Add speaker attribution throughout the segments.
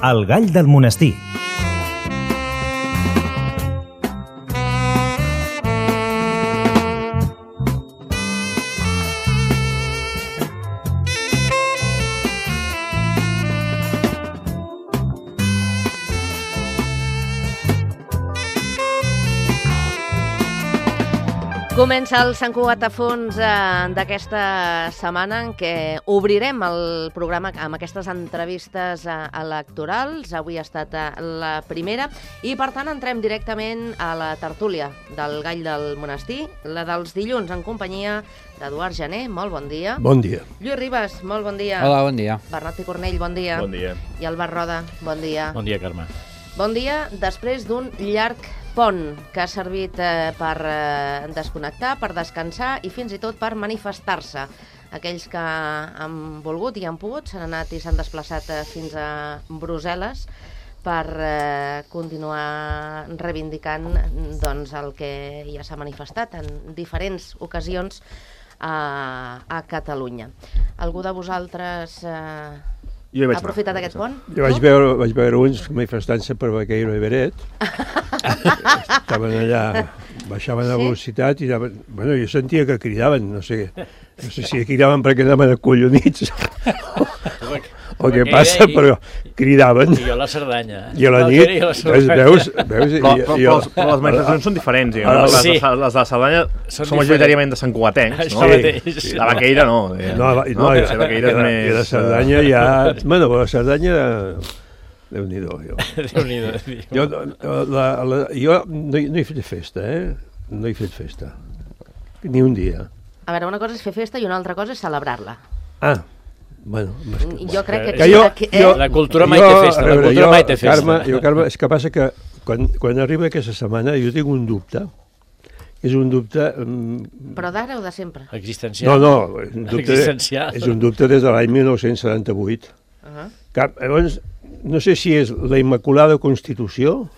Speaker 1: El gall del monestir.
Speaker 2: Comença el Sant Cugat a fons d'aquesta setmana en què obrirem el programa amb aquestes entrevistes electorals. Avui ha estat la primera i, per tant, entrem directament a la tertúlia del Gall del Monestir, la dels dilluns, en companyia d'Eduard Jané. Molt bon dia.
Speaker 3: Bon dia.
Speaker 2: Lluís Ribas, molt bon dia.
Speaker 4: Hola, bon dia.
Speaker 2: Bernat i Cornell, bon dia.
Speaker 5: Bon dia.
Speaker 2: I Albert Roda, bon dia.
Speaker 5: Bon dia, Carme.
Speaker 2: Bon dia, després d'un llarg pont que ha servit per desconnectar, per descansar i fins i tot per manifestar-se. Aquells que han volgut i han pogut s'han anat i s'han desplaçat fins a Brussel·les per continuar reivindicant doncs, el que ja s'ha manifestat en diferents ocasions a Catalunya. Algú de vosaltres ha aprofitat aquest pont?
Speaker 3: Jo vaig veure uns manifestant-se per Baqueiro i Beret. Estaven allà, baixaven la velocitat i anaven... Bueno, jo sentia que cridaven, no sé si cridaven perquè anaven acollonits o què passa, però cridaven.
Speaker 5: I jo a la Cerdanya.
Speaker 3: I a la nit, veus?
Speaker 6: Però les manifestacions són diferents,
Speaker 5: Sí.
Speaker 6: Les de la Cerdanya són majoritàriament de Sant Cugatencs, no?
Speaker 5: Sí.
Speaker 6: La Vaqueira no.
Speaker 3: No,
Speaker 6: la Vaqueira és més...
Speaker 3: I la Cerdanya ja... Bueno, la Cerdanya... Déu-n'hi-do, jo. Jo no he fet festa, No he fet festa. Ni un dia.
Speaker 2: A veure, una cosa és fer festa i una altra cosa és celebrar-la.
Speaker 3: Ah, bueno...
Speaker 2: Jo crec que...
Speaker 5: La cultura mai té festa.
Speaker 3: Carme, és que passa que quan arriba aquesta setmana jo tinc un dubte. És un dubte...
Speaker 2: Però d'ara o de sempre?
Speaker 5: Existencial.
Speaker 3: No, és un dubte des de l'any 1978. Llavors, no sé si és la Immaculada Constitució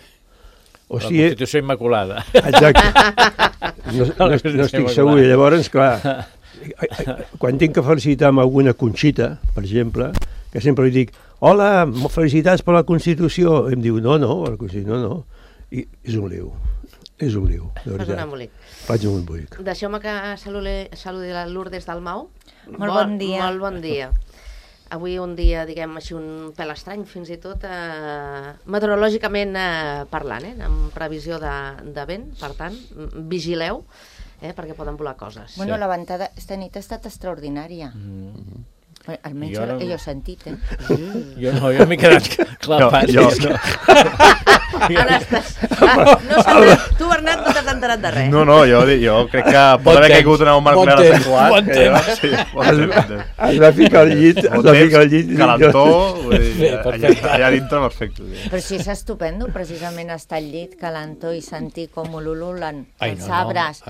Speaker 3: o
Speaker 5: la
Speaker 3: si
Speaker 5: Constitució Immaculada.
Speaker 3: Exacte. No estic segur. Llavors, clar, quan tinc que felicitar amb alguna Conxita, per exemple, que sempre li dic, hola, felicitats per la Constitució, em diu, no, la Constitució no. I és un liu, de veritat.
Speaker 2: Fas un embolic.
Speaker 3: Faig un embolic.
Speaker 2: Deixeu-me que saludi la Lourdes Dalmau.
Speaker 7: Molt bon dia.
Speaker 2: Molt bon dia. Avui un dia, diguem així, un pèl estrany, fins i tot meteorològicament parlant, amb previsió de vent, per tant, vigileu, perquè poden volar coses.
Speaker 7: Bueno, la ventada esta nit ha estat extraordinària. Almenys jo he sentit,
Speaker 5: Jo no, jo m'he quedat clapat.
Speaker 2: Tu, Bernat, no t'has enterat de res.
Speaker 6: No, jo crec que pot haver caigut una bomba nuclear a Sant Cugat.
Speaker 5: Bon temps.
Speaker 3: Has de ficar al llit.
Speaker 6: Calentó, allà dintre perfecte.
Speaker 7: Però si és estupendo, precisament estar al llit, calentó i sentir com ululen els arbres.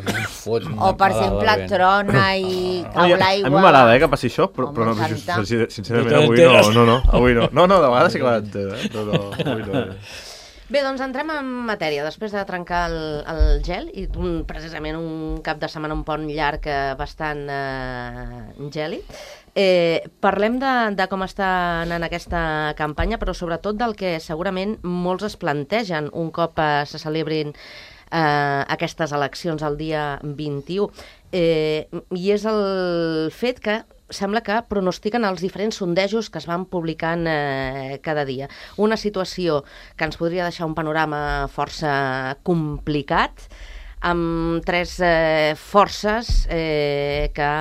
Speaker 7: O, per exemple, trona i cau l'aigua.
Speaker 6: A mi m'agrada que passi això, però no, sincerament avui no. No, de vegades sí que l'entenc, avui no.
Speaker 2: Bé, doncs entrem en matèria. Després de trencar el gel, i precisament un cap de setmana, un pont llarg bastant gèlid, parlem de com està anant aquesta campanya, però sobretot del que segurament molts es plantegen un cop se celebrin aquestes eleccions el dia 21. I és el fet que sembla que pronostiquen els diferents sondejos que es van publicant cada dia. Una situació que ens podria deixar un panorama força complicat, amb tres forces que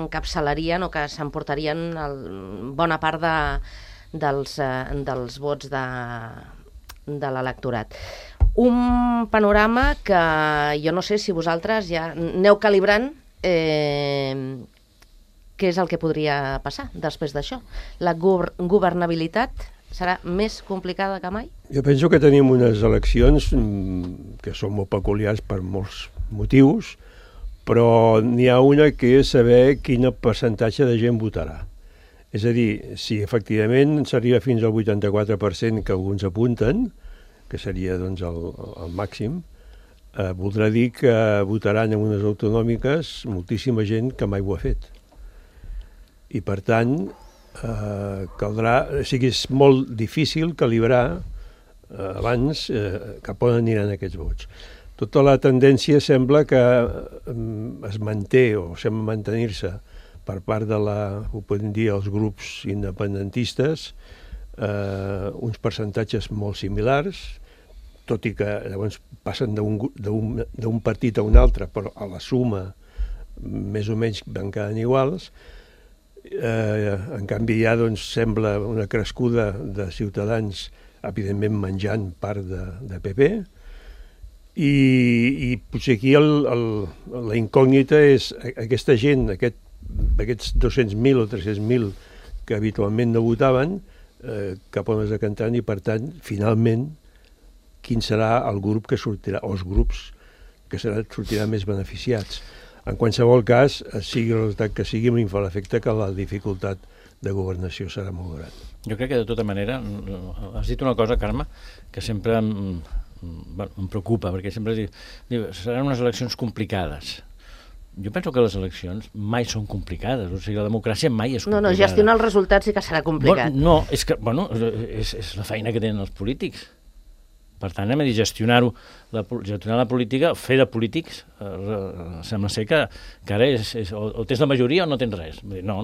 Speaker 2: encapçalarien o que s'emportarien bona part dels vots de l'electorat. Un panorama que jo no sé si vosaltres ja aneu calibrant què és el que podria passar després d'això. La governabilitat serà més complicada que mai?
Speaker 3: Jo penso que tenim unes eleccions que són molt peculiars per molts motius, però n'hi ha una que és saber quin percentatge de gent votarà. És a dir, si efectivament s'arriba fins al 84% que alguns apunten, que seria doncs, el màxim, voldrà dir que votaran en unes autonòmiques moltíssima gent que mai ho ha fet. I per tant, caldrà... O sigui, és molt difícil calibrar abans cap on aniran aquests vots. Tota la tendència sembla que es manté o sembla mantenir-se per part de ho podem dir, els grups independentistes, uns percentatges molt similars, tot i que llavors passen d'un partit a un altre, però a la suma més o menys van quedant iguals. En canvi ja sembla una crescuda de Ciutadans, evidentment menjant part de PP, i potser aquí la incògnita és aquesta gent, aquests 200.000 o 300.000 que habitualment no votaven, cap on es decantaran, i per tant, finalment, quin serà el grup que sortirà, o els grups que sortiran més beneficiats. En qualsevol cas, sigui el resultat que sigui, m'hi fa l'efecte que la dificultat de governació serà molt gran.
Speaker 5: Jo crec que de tota manera, has dit una cosa, Carme, que sempre em preocupa, perquè sempre diu, seran unes eleccions complicades. Jo penso que les eleccions mai són complicades, o sigui, la democràcia mai és complicada.
Speaker 2: No, gestionar els resultats sí que serà complicat.
Speaker 5: No, és que, és la feina que tenen els polítics. Per tant, hem de dir, gestionar la política, fer de polítics, sembla ser que ara o tens la majoria o no tens res. No,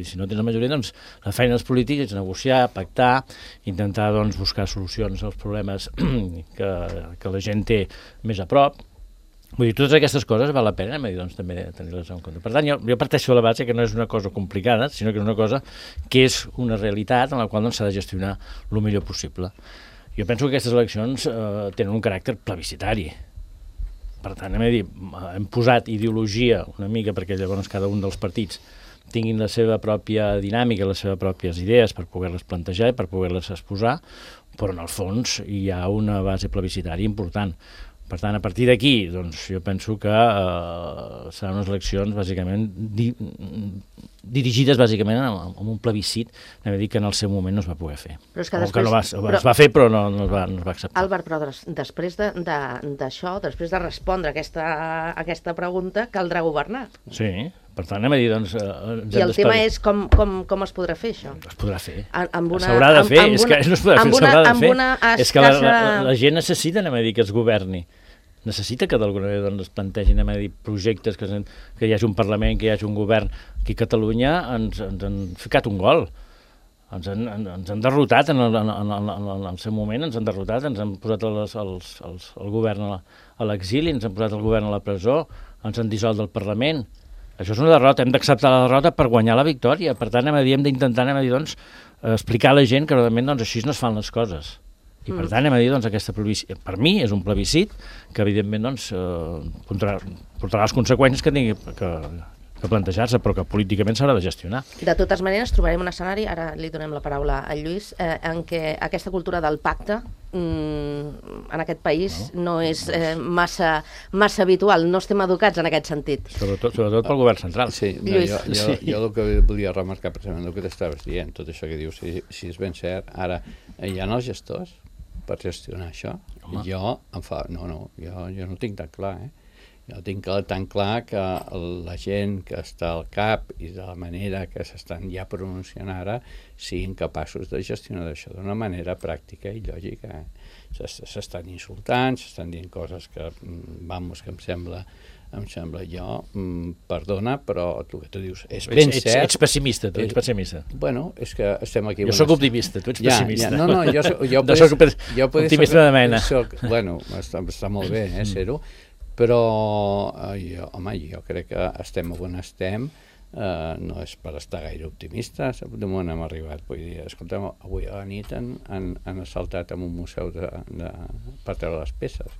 Speaker 5: si no tens la majoria, doncs la feina dels polítics és negociar, pactar, intentar buscar solucions als problemes que la gent té més a prop. Vull dir, totes aquestes coses val la pena també tenir-les en compte. Per tant, jo parteixo de la base que no és una cosa complicada, sinó que és una cosa que és una realitat en la qual s'ha de gestionar el millor possible. Jo penso que aquestes eleccions tenen un caràcter plebiscitari. Per tant, hem posat ideologia una mica perquè llavors cada un dels partits tinguin la seva pròpia dinàmica, les seves pròpies idees per poder-les plantejar i per poder-les exposar, però en el fons hi ha una base plebiscitària important. Per tant, a partir d'aquí, jo penso que seran unes eleccions bàsicament dirigides bàsicament amb un plebiscit, que en el seu moment no es va poder fer.
Speaker 2: Però és que
Speaker 5: després... es va fer, però no es va acceptar.
Speaker 2: Àlvar, però després d'això, després de respondre aquesta pregunta, caldrà governar.
Speaker 5: Sí, per tant, I
Speaker 2: el tema és com es podrà fer, això?
Speaker 5: Es podrà fer.
Speaker 2: S'haurà
Speaker 5: de fer, és que no es podrà fer, s'haurà de fer. És que la gent necessita, que es governi. Necessita que d'alguna manera es plantegin projectes, que hi hagi un Parlament, que hi hagi un govern. Aquí a Catalunya ens han ficat un gol. Ens han derrotat en el seu moment, ens han posat el govern a l'exili, ens han posat el govern a la presó, ens han dissolt del Parlament. Això és una derrota, hem d'acceptar la derrota per guanyar la victòria. Per tant, hem d'intentar explicar a la gent que realment així no es fan les coses. I per tant, aquesta plebiscit, per mi és un plebiscit que evidentment portarà les conseqüències que tingui que plantejar-se, però que políticament s'haurà de gestionar.
Speaker 2: De totes maneres, trobarem un escenari, ara li donem la paraula a Lluís, en què aquesta cultura del pacte en aquest país no és massa habitual, no estem educats en aquest sentit.
Speaker 5: Sobretot pel govern central.
Speaker 1: Sí, jo el que volia remarcar precisament el que t'estaves dient, tot això que dius, si és ben cert, ara hi ha els gestors per gestionar això. Jo no tinc tan clar, Jo tinc tan clar que la gent que està al cap i de la manera que s'estan ja pronunciant ara siguin capaços de gestionar això d'una manera pràctica i lògica. S'estan insultant, s'estan dient coses que em sembla jo, perdona, però tu que tu dius, és ben cert...
Speaker 5: Ets pessimista, tu ets pessimista.
Speaker 1: Bueno, és que estem aquí...
Speaker 5: Jo soc optimista, tu ets pessimista.
Speaker 1: No, jo
Speaker 5: optimista de mena.
Speaker 1: Bueno, està molt bé, ser-ho, però jo crec que estem on estem, no és per estar gaire optimistes, de moment hem arribat, vull dir, escolta'm, avui a la nit han assaltat en un museu per treure les peces,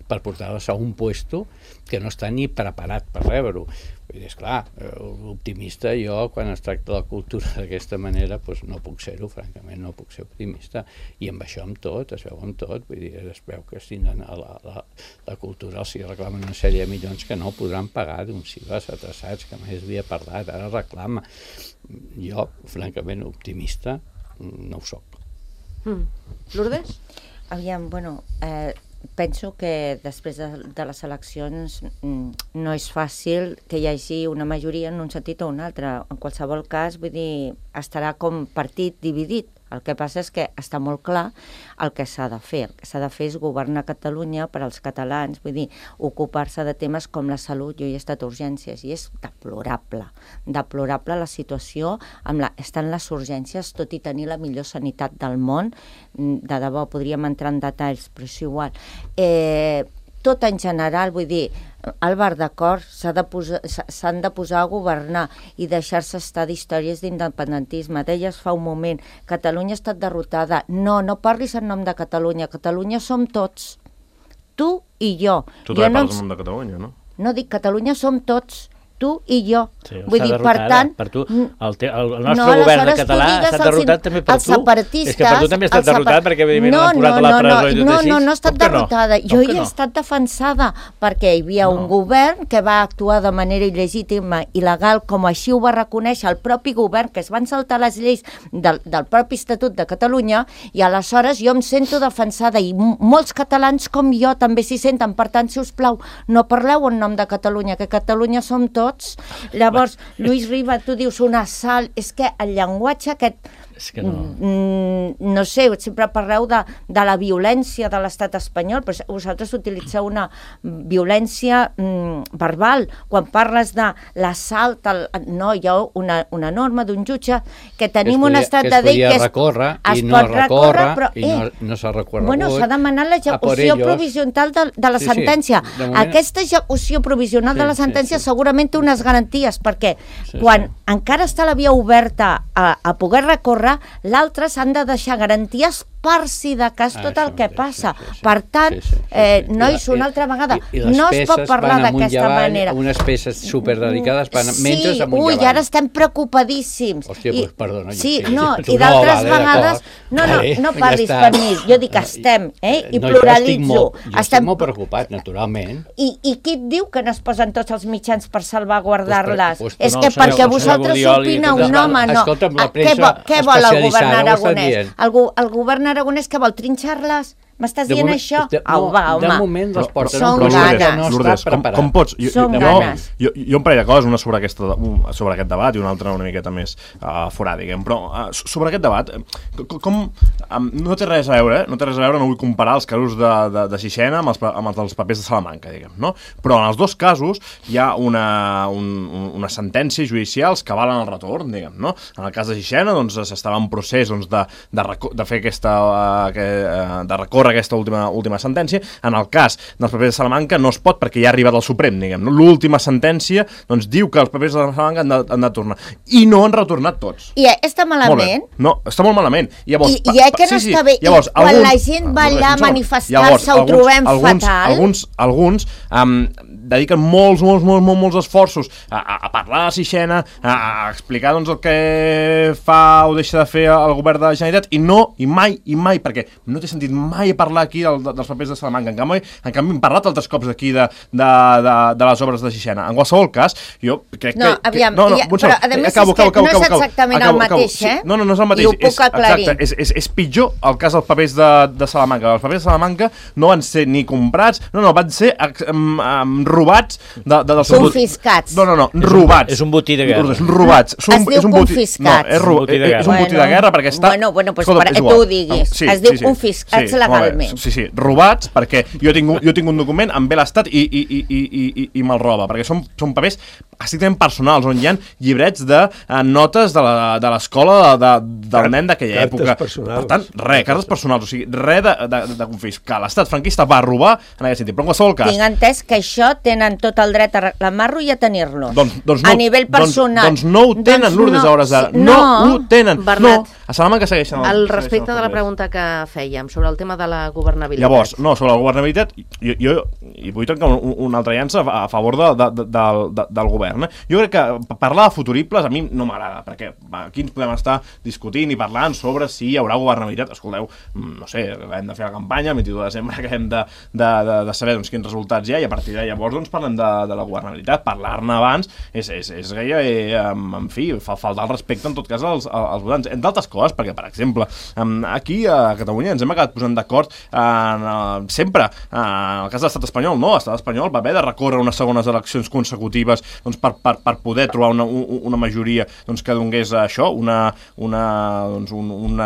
Speaker 1: per portar-les a un puesto que no està ni preparat per rebre-ho. Vull dir, esclar, optimista jo, quan es tracta de la cultura d'aquesta manera, doncs no puc ser-ho, francament, no puc ser optimista, i amb això amb tot, es veu amb tot, vull dir, es veu que la cultura els reclamen una sèrie de milions que no podran pagar d'uns cibes atrasats, que mai havia parlat, ara reclama. Jo, francament, optimista, no ho soc.
Speaker 2: Lourdes?
Speaker 7: Aviam, penso que després de les eleccions no és fàcil que hi hagi una majoria en un sentit o un altre. En qualsevol cas, vull dir, estarà com partit dividit. El que passa és que està molt clar el que s'ha de fer. El que s'ha de fer és governar Catalunya per als catalans, vull dir, ocupar-se de temes com la salut. Jo he estat a urgències i és deplorable. Deplorable la situació. Estan les urgències, tot i tenir la millor sanitat del món. De debò, podríem entrar en detalls, però és igual. Tot en general, vull dir, Álvaro, d'acord, s'han de posar a governar i deixar-se estar d'històries d'independentisme. Deies fa un moment, Catalunya ha estat derrotada. No parlis en nom de Catalunya. Catalunya som tots. Tu i jo.
Speaker 6: Tu també parles en nom de Catalunya, no?
Speaker 7: No, dic Catalunya som tots. Tu i jo.
Speaker 5: Sí,
Speaker 7: vull dir, per tant...
Speaker 5: Per tu, el nostre govern de català ha estat derrotat també per tu. És que per tu també ha estat derrotat perquè evidentment l'han posat a la presó i tot així.
Speaker 7: No ha estat derrotada. Jo hi he estat defensada perquè hi havia un govern que va actuar de manera il·legítima, il·legal, com així ho va reconèixer el propi govern, que es van saltar les lleis del propi Estatut de Catalunya, i aleshores jo em sento defensada i molts catalans com jo també s'hi senten. Per tant, si us plau, no parleu en nom de Catalunya, que Catalunya som tots. Llavors, Lluís Riba, tu dius un assalt, és que el llenguatge aquest...
Speaker 5: És que no.
Speaker 7: No sé, sempre parleu de la violència de l'estat espanyol, però vosaltres utilitzeu una violència verbal. Quan parles de l'assalt, no, hi ha una norma d'un jutge que tenim un estat de llei que es pot recórrer,
Speaker 1: i no s'ha recorregut.
Speaker 7: Bueno, s'ha demanat l'execució provisional de la sentència. Aquesta execució provisional de la sentència segurament té unes garanties, perquè quan encara està la via oberta a poder recórrer, l'altre s'han de deixar garanties per si de cas tot el que passa. Per tant, nois, una altra vegada, no es pot parlar d'aquesta manera.
Speaker 1: Unes peces superdedicades van mentre amunt i avall.
Speaker 7: Ui, ara estem preocupadíssims.
Speaker 1: Hòstia, doncs perdona.
Speaker 7: Sí, no, i d'altres vegades... No parlis per mi, jo dic estem, i pluralitzo.
Speaker 1: Jo estic molt preocupat, naturalment.
Speaker 7: I qui et diu que no es posen tots els mitjans per salvaguardar-les? És que perquè vosaltres opineu, no, home, no. Què vol el govern aragonès? El govern aragonès que vol trinxar-les? M'estàs dient això?
Speaker 1: De moment les porten.
Speaker 7: Són ganes.
Speaker 6: Lourdes, com pots?
Speaker 7: Són ganes.
Speaker 6: Jo un parell de coses, una sobre aquest debat i una altra una miqueta més fora, diguem. Però sobre aquest debat, no té res a veure, no vull comparar els casos de Sixena amb els dels papers de Salamanca, diguem, no? Però en els dos casos hi ha unes sentències judicials que valen el retorn, diguem, no? En el cas de Sixena, doncs, s'estava en procés de fer de recórrer aquesta última sentència. En el cas dels papers de Salamanca no es pot perquè ja ha arribat al Suprem, diguem. L'última sentència doncs, diu que els papers de Salamanca han de tornar. I no han retornat tots.
Speaker 7: I està malament?
Speaker 6: No, està molt malament.
Speaker 7: I que no està bé. I quan la gent va allà a manifestar-se ho trobem fatal?
Speaker 6: Alguns dediquen molts esforços a parlar de Sixena, a explicar doncs, el que fa o deixa de fer el govern de la Generalitat, i mai, perquè no té sentit mai parlar aquí dels papers de Salamanca. En canvi hem parlat altres cops aquí de les obres de Sixena. En qualsevol cas, jo crec que...
Speaker 7: Però a més és que no és exactament el mateix,
Speaker 6: No és el mateix.
Speaker 7: I ho puc aclarir.
Speaker 6: És pitjor el cas dels papers de Salamanca. Els papers de Salamanca no van ser ni comprats, van ser robats
Speaker 7: confiscats.
Speaker 6: No, robats.
Speaker 5: És un botí de guerra.
Speaker 6: Robats.
Speaker 7: Es diu confiscats.
Speaker 6: És un botí de guerra perquè està...
Speaker 7: Bueno, doncs per tu ho diguis. Es diu confiscats legalment.
Speaker 6: Sí, robats, perquè jo tinc un document, em ve l'Estat i me'l roba, perquè són papers estrictament personals, on hi ha llibrets de notes de l'escola del nen d'aquella època. Per tant, cartes personals, o sigui, res de confiscar. L'Estat franquista va robar en aquest sentit, però en qualsevol cas...
Speaker 7: Tinc entès que això tenen tot el dret a reclamar-lo i a tenir-lo. A nivell personal.
Speaker 6: Doncs no ho tenen, Lourdes, a hores d'ara. No ho tenen.
Speaker 2: Bernat,
Speaker 6: a Salamanca segueixen...
Speaker 2: Al respecte de la pregunta que fèiem sobre el tema de la governabilitat.
Speaker 6: Llavors, sobre la governabilitat, jo vull trencar una altra llança a favor del govern govern. Jo crec que parlar de futuribles a mi no m'agrada, perquè aquí ens podem estar discutint i parlant sobre si hi haurà governabilitat. Escolteu, no sé, hem de fer la campanya, el 22 de desembre, que hem de saber doncs, quins resultats hi ha, i a partir de llavors doncs, parlem de la governabilitat. Parlar-ne abans és gairebé, en fi, faltar el respecte en tot cas als votants. Entre altres coses, perquè, per exemple, aquí a Catalunya ens hem acabat posant d'acord sempre, en el cas de l'estat espanyol, no, l'estat espanyol va haver de recórrer unes segones eleccions consecutives doncs, per poder trobar una majoria doncs, que donés això, una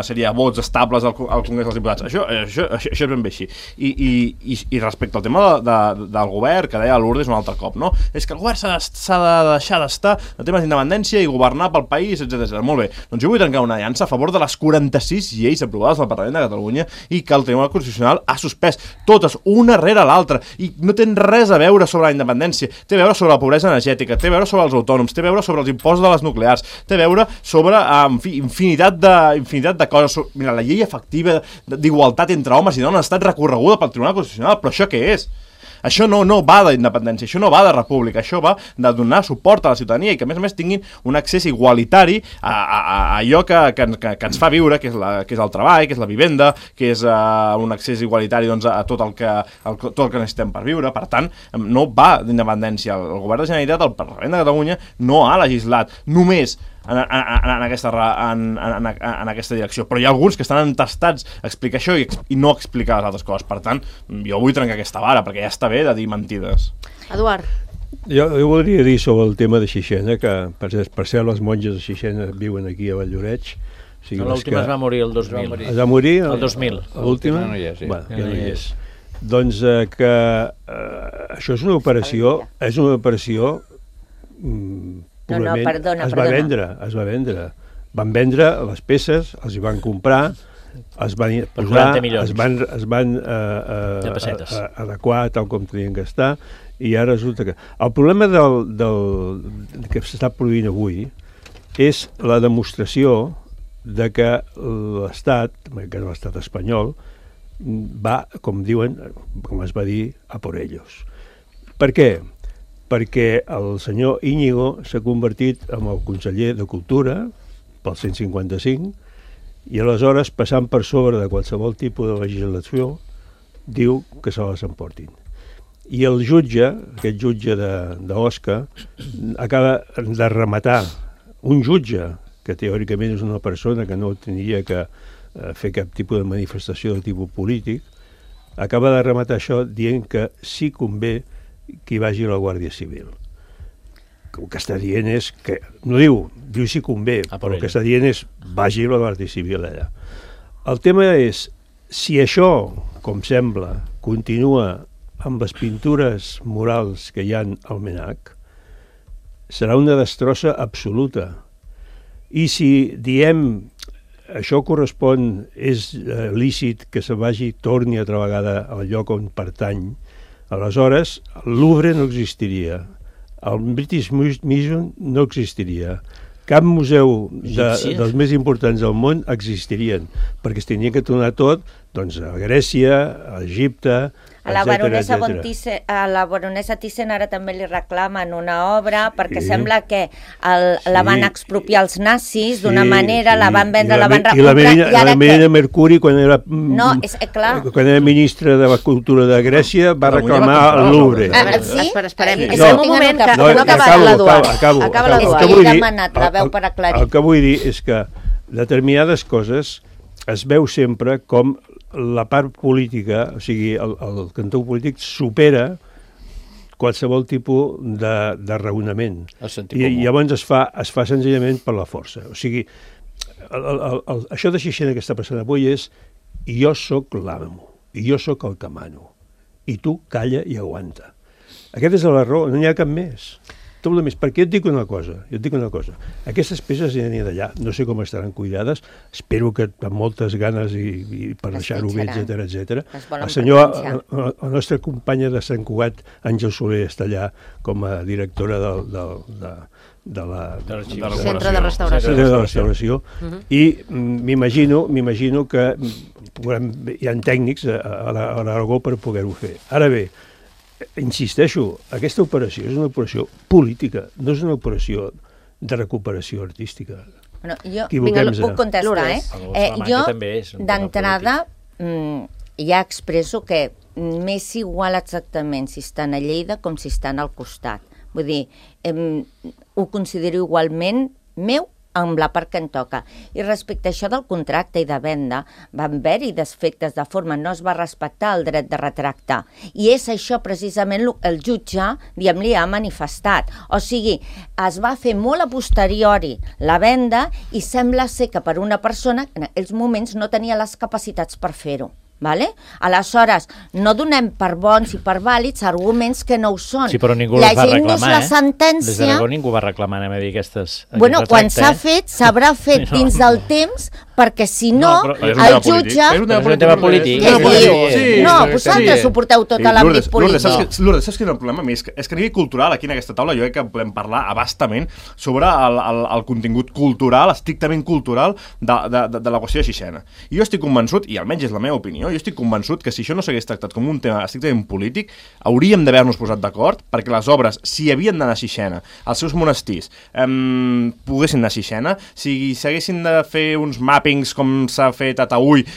Speaker 6: sèrie de vots estables al Congrés dels Diputats. Això és ben bé així. I respecte al tema del govern, que deia Lourdes un altre cop, no? És que el govern s'ha de deixar d'estar en temes d'independència i governar pel país, etc. Molt bé, doncs jo vull trencar una aliança a favor de les 46 lleis aprovades al Parlament de Catalunya i que el Tribunal Constitucional ha suspès totes, una rere l'altra, i no tenen res a veure sobre la independència, té a veure sobre la pobresa energètica, té a veure sobre els autònoms, té a veure sobre els impostos de les nuclears, té a veure sobre infinitat de coses. Mira, la llei efectiva d'igualtat entre homes i dones ha estat recorreguda pel Tribunal Constitucional, però això què és? Això no va d'independència, això no va de república, això va de donar suport a la ciutadania i que a més tinguin un accés igualitari a allò que ens fa viure, que és el treball, que és la vivenda, que és un accés igualitari doncs, a tot el que necessitem per viure. Per tant, no va d'independència. El govern de Generalitat, el Parlament de Catalunya, no ha legislat només en aquesta direcció, però hi ha alguns que estan entestats a explicar això i no explicar les altres coses. Per tant, jo vull trencar aquesta vara, perquè ja està bé de dir mentides.
Speaker 2: Eduard.
Speaker 3: Jo voldria dir sobre el tema de Xixena, que per cert les monges de Xixena viuen aquí a Valldoreix.
Speaker 5: L'última es va morir el 2000.
Speaker 3: Es va morir?
Speaker 5: El 2000.
Speaker 3: L'última?
Speaker 1: No hi és, sí.
Speaker 3: Ja no hi és. Doncs que això és una operació
Speaker 7: perdona.
Speaker 3: Es va vendre. Van vendre les peces, els hi van comprar, es van posar, es van adequar tal com tenien que estar, i ara resulta que... El problema que s'està produint avui és la demostració de que l'Estat, que és l'estat espanyol, va, com diuen, com es va dir, a por ellos. Per què? Perquè el senyor Íñigo s'ha convertit en el conseller de Cultura pel 155 i aleshores, passant per sobre de qualsevol tipus de legislació, diu que se les emportin. I el jutge, aquest jutge d'Osca, acaba de rematar un jutge, que teòricament és una persona que no tindria que fer cap tipus de manifestació de tipus polític, acaba de rematar això dient que sí convé que hi vagi la Guàrdia Civil. El que està dient és que, no diu si convé, però el que està dient és vagi la Guàrdia Civil allà. El tema és, si això, com sembla, continua amb les pintures murals que hi ha al MNAC, serà una destrossa absoluta. I si diem això correspon, és lícit que se torni altra vegada al lloc on pertany, aleshores, el Louvre no existiria, el British Museum no existiria, cap museu dels més importants del món existirien, perquè es tenia que tornar tot doncs, a Grècia, a Egipte,
Speaker 7: a la baronessa Thyssen ara també li reclamen una obra perquè sembla que la van expropiar els nazis d'una manera, la van vendre, la van recomprar.
Speaker 3: I la Marina Mercuri, quan era ministra de la Cultura de Grècia, va reclamar el Louvre.
Speaker 2: Sí? Esperem. Esperem un moment, que no acaba l'Eduard.
Speaker 7: Acaba l'Eduard. He demanat la veu per aclarir.
Speaker 3: El que vull dir és que determinades coses es veu sempre com la part política, o sigui, el cantó polític supera qualsevol tipus de raonament. I llavors es fa senzillament per la força. O sigui, això de Xixena que està passant avui és jo sóc l'amo, i jo sóc el que mano, i tu calla i aguanta. Aquest és l'error, no n'hi ha cap més. Tot el més, perquè jo et dic una cosa, aquestes peces hi aniran d'allà, no sé com estaran cuidades, espero que amb moltes ganes i per deixar-ho bé, etc. La nostra companya de Sant Cugat, Àngel Soler, està allà com a directora de la
Speaker 2: Centre de Restauració.
Speaker 3: I m'imagino que hi ha tècnics a l'Aragó per poder-ho fer. Ara bé, insisteixo, aquesta operació és una operació política, no és una operació de recuperació artística.
Speaker 7: Bueno, jo
Speaker 3: Equivoquem-se.
Speaker 7: puc contestar, jo, d'entrada, ja expresso que m'és igual exactament si estan a Lleida com si estan al costat. Vull dir, ho considero igualment meu amb la part que em toca. I respecte a això del contracte i de venda, van haver-hi defectes de forma, no es va respectar el dret de retracte. I és això precisament el jutge, diguem-li, ha manifestat. O sigui, es va fer molt a posteriori la venda i sembla ser que per una persona en aquells moments no tenia les capacitats per fer-ho. Vale? Aleshores, no donem per bons i per vàlids arguments que no ho són.
Speaker 5: Sí, però ningú els va reclamar,
Speaker 7: la sentència...
Speaker 5: Des d'Aragó ningú va reclamar, anem a dir, aquestes...
Speaker 7: Bueno, quan s'ha fet, s'haurà fet dins del temps, perquè si no, el jutge...
Speaker 6: És un tema polític.
Speaker 7: Què diu? No, vosaltres ho porteu tot a l'àmbit polític.
Speaker 6: Lourdes, saps quin és el problema? És que a nivell cultural, aquí en aquesta taula, jo crec que podem parlar abastament sobre el contingut cultural, estrictament cultural, de la qüestió de Sixena. I jo estic convençut, i almenys és la meva opinió, jo estic convençut que si això no s'hagués tractat com un tema estrictament polític, hauríem d'haver-nos posat d'acord perquè les obres, si havien d'anar a Sixena, els seus monestirs poguessin anar a Sixena, si s'haguessin de fer uns mappings com s'ha fet a Taüll,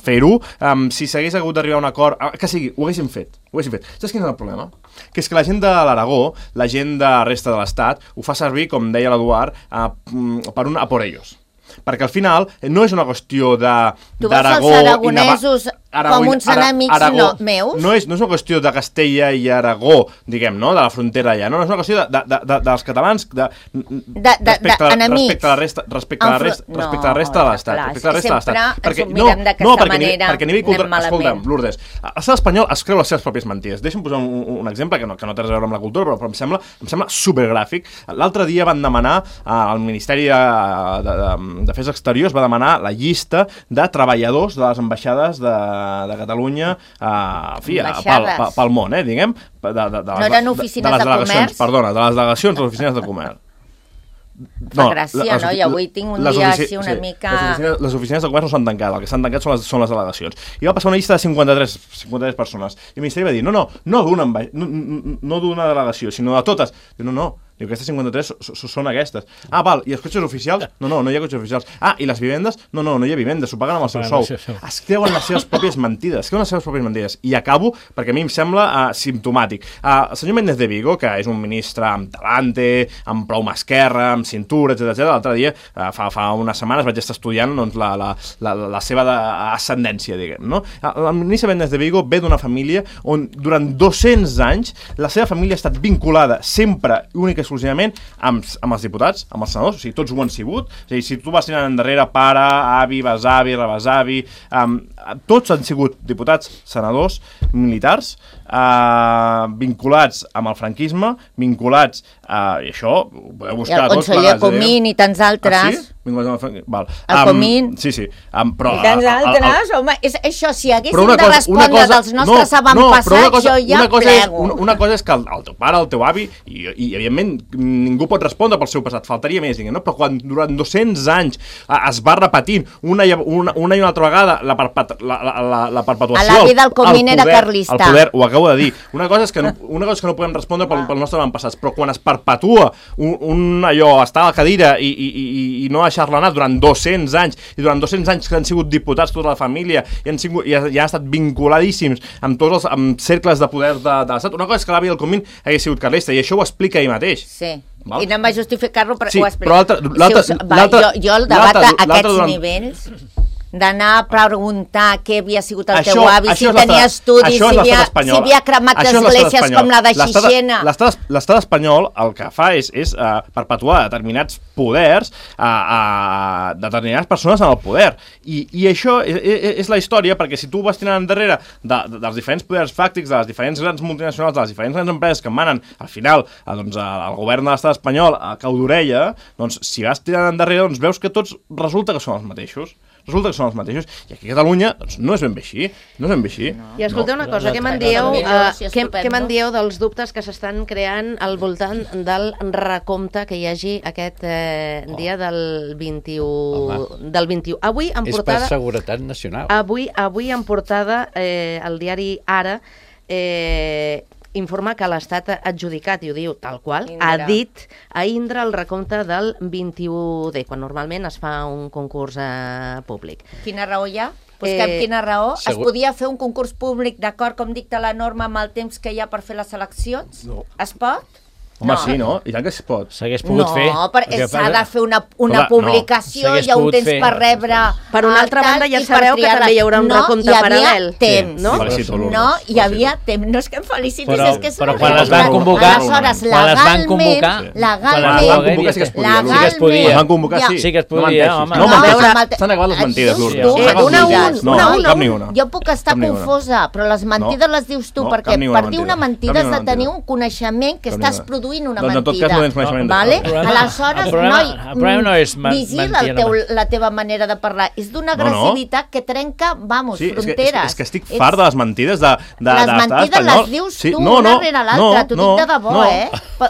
Speaker 6: fer-ho, si s'hagués hagut d'arribar a un acord, que sigui, ho haguéssim fet. Saps quin és el problema? Que és que la gent de l'Aragó, la gent de la resta de l'Estat, ho fa servir, com deia l'Eduard, per un a por ellos. Perquè al final no és una qüestió d'Aragó...
Speaker 7: Tu veus els aragonesos com uns enemics meus?
Speaker 6: No és una qüestió de Castella i Aragó, diguem, no? De la frontera allà. No, és una qüestió dels catalans
Speaker 7: enemics.
Speaker 6: Respecte a la resta de l'Estat.
Speaker 7: Sempre ens ho mirem d'aquesta manera,
Speaker 6: anem malament. Escolta'm, Lourdes, l'estat espanyol es creu les seves pròpies mentides. Deixa'm posar un exemple que no té res a veure amb la cultura, però em sembla supergràfic. L'altre dia van demanar al Ministeri d'Afers Exteriors va demanar la llista de treballadors de les ambaixades de Catalunya pel món, diguem.
Speaker 7: No eren oficines de comerç?
Speaker 6: Perdona, de les delegacions de les oficines de comerç.
Speaker 7: Fa gràcia, no? I avui tinc un dia així una mica...
Speaker 6: Les oficines de comerç no s'han tancat, el que s'han tancat són les delegacions. I va passar una llista de 53 persones. I el Ministeri va dir, no d'una delegació, sinó de totes. Diu, no. Diu, aquestes 53 són aquestes. Val, i els cotxes oficials? No hi ha cotxes oficials. I les vivendes? No hi ha vivendes, s'ho paguen amb el seu sou. Es creuen les seves pròpies mentides. I acabo, perquè a mi em sembla simptomàtic. El senyor Méndez de Vigo, que és un ministre amb talante, amb prou mà esquerra, amb cintura, etc. L'altre dia, fa unes setmanes, vaig estar estudiant la seva ascendència, diguem, no? El ministre Méndez de Vigo ve d'una família on durant 200 anys la seva família ha estat vinculada sempre, única i exclusivament amb els diputats, amb els senadors, o sigui, tots ho han sigut. És a dir, si tu vas tirant endarrere, pare, avi, besavi, rebesavi, tots han sigut diputats, senadors, militars, vinculats amb el franquisme, vinculats i això ho podeu buscar tots.
Speaker 7: I el conseller Comín i tants altres. El Comín.
Speaker 6: Sí.
Speaker 7: I tants altres, home, això, si haguéssim de respondre dels nostres avantpassats, jo ja plego.
Speaker 6: Una cosa és que el teu pare, el teu avi, i evidentment ningú pot respondre pel seu passat, faltaria més, no? Però quan durant 200 anys es va repetint una i una altra vegada la perpetuació...
Speaker 7: L'avi del Comín era carlista.
Speaker 6: El poder, ho acabo de dir. Una cosa és que no podem respondre pel nostre avantpassats, però quan es perpetua allò, estar a la cadira i no deixar-la anar durant 200 anys, i durant 200 anys que han sigut diputats tota la família i han estat vinculadíssims amb tots els cercles de poder de l'Estat, una cosa és que l'avi del Comín hagués sigut carlista, i això ho explica ell mateix.
Speaker 7: Sí, i anem a justificar-lo, però ho explica.
Speaker 6: Però
Speaker 7: jo el debat a aquests nivells... d'anar a preguntar què havia sigut el teu avi, si tenia estudis, si havia cremat esglésies com la de Xixena.
Speaker 6: L'estat espanyol el que fa és perpetuar determinats poders a determinades persones en el poder. I això és la història, perquè si tu vas tirant endarrere dels diferents poders fàctics, de les diferents grans multinacionals, de les diferents grans empreses que manen, al final, el govern de l'estat espanyol a cau d'orella, doncs si vas tirant endarrere, doncs veus que tots resulta que són els mateixos. I aquí a Catalunya no és ben bé així.
Speaker 2: I escolteu una cosa, què me'n dieu dels dubtes que s'estan creant al voltant del recompte que hi hagi aquest dia del 21. Avui en portada...
Speaker 1: És per seguretat nacional.
Speaker 2: Avui en portada el diari Ara informar que l'Estat ha adjudicat, i ho diu tal qual,
Speaker 7: Indra.
Speaker 2: ha dit a Indra el recompte del 21D, quan normalment es fa un concurs públic.
Speaker 7: Quina raó hi ha? Busquem quina raó. Es podia fer un concurs públic d'acord com dicta la norma amb el temps que hi ha per fer les eleccions?
Speaker 3: No.
Speaker 7: Es pot?
Speaker 6: Home, sí, no? I tant que es pot.
Speaker 5: S'hagués pogut fer.
Speaker 7: No, perquè s'ha de fer una publicació,
Speaker 5: s'hagués
Speaker 7: hi ha un
Speaker 5: pogut
Speaker 7: temps
Speaker 5: fer.
Speaker 7: per rebre...
Speaker 2: Per una altra banda, ja
Speaker 7: i per
Speaker 2: sabeu que
Speaker 7: triar-la.
Speaker 2: també hi haurà un recompte paral·lel.
Speaker 7: No, hi havia temps.
Speaker 2: no?
Speaker 6: Felicito, Lourdes.
Speaker 7: No, hi havia temps. No és que em felicitis,
Speaker 5: Però-
Speaker 7: és que és
Speaker 5: però
Speaker 7: una
Speaker 5: quan les van
Speaker 7: realitat.
Speaker 5: convocar-
Speaker 7: Aleshores,
Speaker 5: quan les van convocar-
Speaker 6: Quan les
Speaker 7: legalment...
Speaker 6: van convocar sí que es podia,
Speaker 5: Sí que es podia.
Speaker 6: Les van convocar, sí.
Speaker 5: Sí que es
Speaker 6: No
Speaker 5: podia,
Speaker 6: menteixis.
Speaker 5: home.
Speaker 6: No menteixis.
Speaker 2: A veure,
Speaker 6: S'han acabat les mentides,
Speaker 7: dius
Speaker 6: Lourdes.
Speaker 7: tu,
Speaker 6: S'han acabat
Speaker 2: una
Speaker 6: les
Speaker 2: a
Speaker 6: mentides.
Speaker 2: una,
Speaker 6: No,
Speaker 2: una.
Speaker 6: cap ni una.
Speaker 7: Jo puc estar
Speaker 6: Cap ni una.
Speaker 7: confosa, però les mentides les dius tu,
Speaker 6: No,
Speaker 7: perquè
Speaker 6: cap ni una
Speaker 7: per dir una
Speaker 6: mentida.
Speaker 7: mentida
Speaker 6: Cap ni
Speaker 7: has
Speaker 6: una
Speaker 7: de tenir
Speaker 6: mentida.
Speaker 7: un coneixement que
Speaker 6: Cap ni
Speaker 7: estàs
Speaker 6: una.
Speaker 7: produint una
Speaker 6: Doncs en tot
Speaker 7: mentida.
Speaker 6: cas no tens coneixement de
Speaker 7: Vale?
Speaker 6: tot.
Speaker 7: Aleshores,
Speaker 5: el problema no és
Speaker 7: vigila
Speaker 5: mentir,
Speaker 7: la teva manera de parlar. És d'una
Speaker 6: No, no.
Speaker 7: agressivitat que trenca, vamos,
Speaker 6: Sí,
Speaker 7: fronteres.
Speaker 6: és que estic fart de les mentides de
Speaker 7: Les mentides les dius tu una rere l'altra, t'ho dic de debò,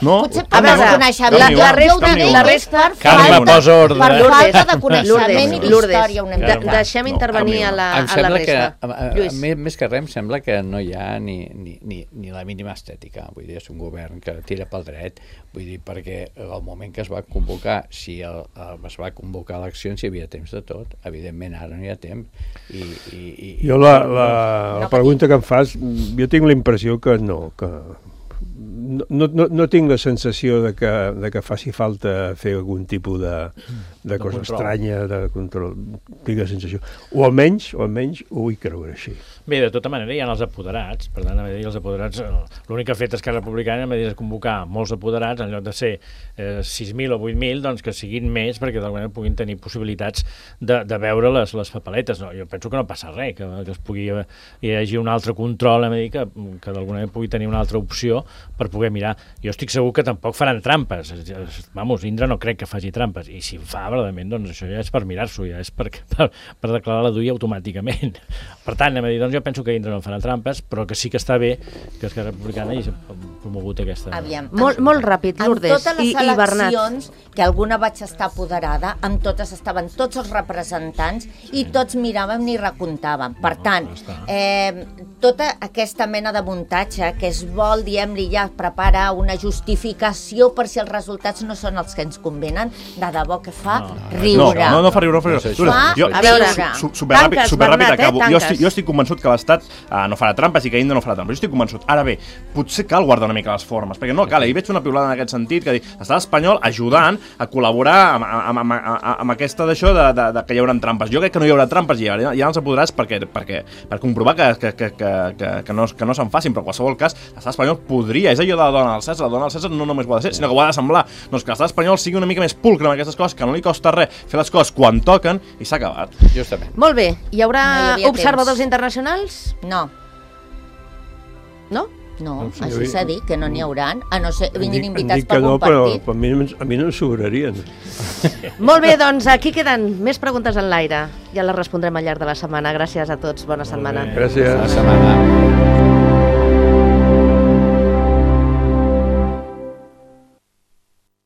Speaker 7: Potser per
Speaker 2: A veure,
Speaker 7: desconeixement.
Speaker 2: la resta-
Speaker 7: Jo ho dic
Speaker 2: la
Speaker 7: és
Speaker 2: resta-
Speaker 7: per
Speaker 5: Carme,
Speaker 7: falta-
Speaker 5: posa ordre.
Speaker 7: Per
Speaker 2: Lourdes,
Speaker 7: falta de coneixement i
Speaker 2: Lourdes,
Speaker 7: d'història una mica.
Speaker 2: deixem intervenir a la
Speaker 1: Em sembla
Speaker 2: resta.
Speaker 1: que,
Speaker 2: Lluís.
Speaker 1: més que res, em sembla que no hi ha ni la mínima estètica. Vull dir, és un govern que tira pel dret. Vull dir, perquè al moment que es va convocar, si es va convocar eleccions, hi havia temps de tot. Evidentment, ara no hi ha temps.
Speaker 3: Jo la pregunta que em fas, jo tinc la impressió que no, que no tinc la sensació de que faci falta fer algun tipus de cosa
Speaker 5: control.
Speaker 3: estranya, de control. Tinc la sensació. O almenys ho vull creure així.
Speaker 5: Bé, de tota manera hi ha els apoderats, per tant, els apoderats, l'únic que ha fet Esquerra Republicana és convocar molts apoderats, en lloc de ser 6.000 o 8.000, doncs que siguin més, perquè d'alguna manera puguin tenir possibilitats de veure les papeletes. No, jo penso que no passa res, que hi hagi un altre control, que d'alguna manera pugui tenir una altra opció per poder mirar. Jo estic segur que tampoc faran trampes. Vamos, Indra no crec que faci trampes, i si en fa, verdaderament, doncs això ja és per mirar-s'ho, ja és per declarar la duia automàticament. Per tant, doncs jo penso que Indra no farà trampes, però que sí que està bé que Esquerra Republicana hagi promogut aquesta...
Speaker 7: Aviam,
Speaker 2: Molt ràpid, Lourdes
Speaker 7: en totes les
Speaker 2: i Bernat.
Speaker 7: eleccions, que alguna vaig estar apoderada, amb totes estaven tots els representants i tots miràvem ni recomptàvem. Per tant, tota aquesta mena de muntatge que es vol, diem-li ja, preparar una justificació per si els resultats no són els que ens convenen, de debò que fa riure.
Speaker 6: No fa riure.
Speaker 2: A veure,
Speaker 6: Superràpid acabo.
Speaker 2: tanques.
Speaker 6: Jo estic convençut que l'Estat no farà trampes i que Indra no farà trampes. Jo estic convençut. Ara bé, potser cal guardar una mica les formes, perquè no cal. Ahir veig una piulada en aquest sentit que diu l'estat espanyol ajudant a col·laborar amb aquesta d'això de que hi haurà trampes. Jo crec que no hi haurà trampes i hi ha els apoderats per comprovar que no se'n facin, però en qualsevol cas l'estat espanyol podria, és allò de la dona al Cèsar, la dona al Cèsar no només ho ha de ser, sinó que ho ha de semblar. Doncs que l'estat espanyol sigui una mica més pulcre amb aquestes coses, que no li costa res fer les coses quan toquen i s'ha acabat.
Speaker 1: Justament.
Speaker 2: Molt bé, hi haurà
Speaker 7: No hi havia
Speaker 2: observadors
Speaker 7: temps.
Speaker 2: internacionals?
Speaker 7: No,
Speaker 2: No?
Speaker 7: no, així s'ha dit, que no n'hi hauran, a no ser vinguin
Speaker 3: Dic
Speaker 7: invitats
Speaker 3: que
Speaker 7: per
Speaker 3: no,
Speaker 7: un
Speaker 3: però
Speaker 7: partit.
Speaker 3: a mi no em sobrarien.
Speaker 2: Molt bé, doncs aquí queden més preguntes en l'aire. Ja les respondrem al llarg de la setmana. Gràcies a tots, bona setmana.
Speaker 3: Gràcies.
Speaker 1: La setmana.